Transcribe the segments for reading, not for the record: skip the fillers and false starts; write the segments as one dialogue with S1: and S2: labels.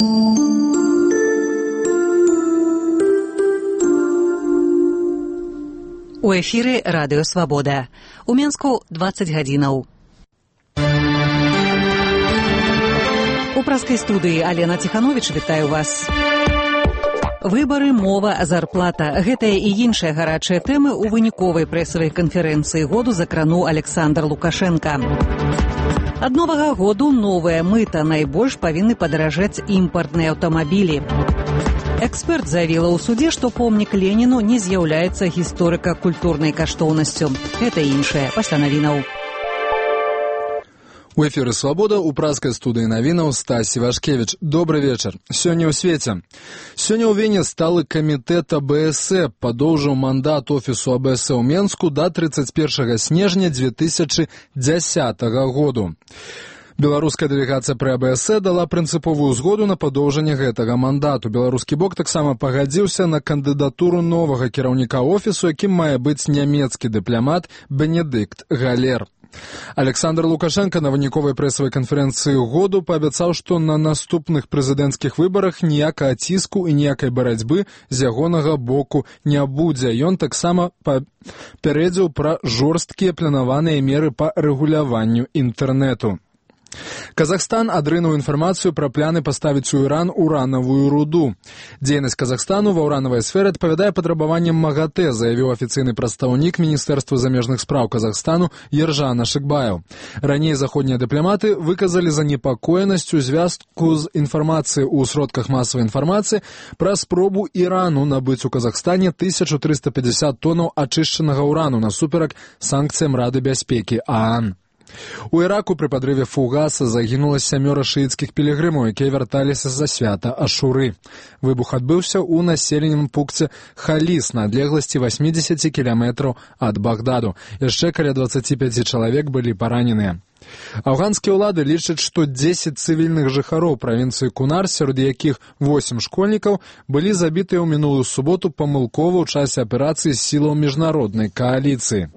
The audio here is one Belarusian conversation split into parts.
S1: У эфіры Радыё Свабода. У Менску 20 гадзінаў. У праскай студыі Алена Ціхановіч вітаю вас. Выбары, мова, зарплата. Гэтыя і іншыя гарачыя тэмы ў выніковай прэсавай канферэнцыі году закрануў Александр Лукашенко. Ад новага году новыя мыта. Найбольш павінны падаражаць імпартныя аўтамабілі. Эксперт заявіла ў судзе, што помнік Леніну не з'яўляецца гісторыка-культурнай каштоўнасцю. Гэта іншае пасля навінаў.
S2: У эфіры «Свабода» у праскай студыі навінаў Стась Івашкевіч. Добры вечар. Сёння ў свеце. Сёння ў Вене сталы камітэт АБСЭ падоўжыў мандат офісу АБСЭ ў Менску да 31 снежня 2010 году. Беларуская дэлегацыя пры АБСЭ дала прынцыповую згоду на падоўжанне гэтага мандату. Беларускі бок таксама пагадзіўся на кандыдатуру новага кіраўніка офісу, якім мае быць нямецкі дыпламат Бенедыкт Галер. Александр Лукашенко на выніковай прэсавай канферэнцыі году паабяцаў, што на наступных прэзідэнцкіх выбарах ніякага ціску і ніякай барацьбы з ягонага боку не будзе. Ён таксама папярэдзіў пра жорсткія планаваныя меры па рэгуляванню інтэрнэту. Казахстан адрынуў інфармацыю пра пляны паставіць у Іран уранавую руду. Дзейнасць Казахстану ва ўранавай сферы адпавядае патрабаванням МАГАТЭ, заявіў афіцыйны прадстаўнік Міністэрства замежных спраў Казахстану Ержан Ашыкбаев. Раней заходнія дыпламаты выказалі занепакоенасць у звязку з інфармацыяй у сродках масавай інфармацыі пра спробу Ірану набыць у Казахстане 1350 тонаў ачышчанага ўрану насуперак санкцыям Рады бяспекі ААН. У Іраку пры падрыве фугаса загінула 7 шыіцкіх пілігрымаў, якія вярталіся за свята Ашуры. Выбух адбыўся ў населеным пункце Халіс на адлегласці 80 кіламетраў ад Багдаду. Яшчэ каля 25 чалавек былі параненыя. Афганскія ўлады лічаць, што 10 цывільных жыхароў правінцыі Кунар, сярод якіх 8 школьнікаў, былі забітыя ў мінулую суботу памылкова ў часе аперацыі сілаў міжнароднай кааліцыі.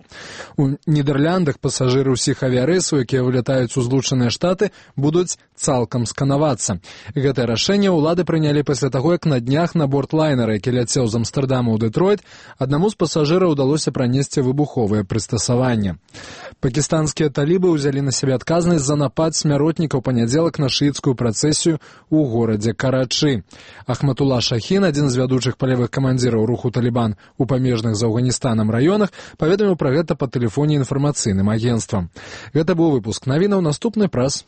S2: У Нідэрляндах пасажыры ўсіх авіярэйсаў, якія вылятаюць у Злучаныя Штаты, будуць цалкам сканавацца. Гэтае рашэнне ўлады прынялі пасля таго, як на днях на борт лайнера, які ляцеў з Амстэрдама ў Дэтройт, аднаму з пасажыраў удалося пранесці выбуховыя прыстасаванні. Пакістанскія талібы ўзялі на сябе адказнасць за напад смяротнікаў панядзелак на шыіцкую працэсію ў горадзе Карачы. Ахматула Шахін, адзін з вядучых палявых камандзіраў руху Талібан у памежных з Афганістанам раёнах, паведаміў пра гэта па тэлефоне інфармацыйным агенцтвам. Гэта быў выпуск навінаў, наступны праз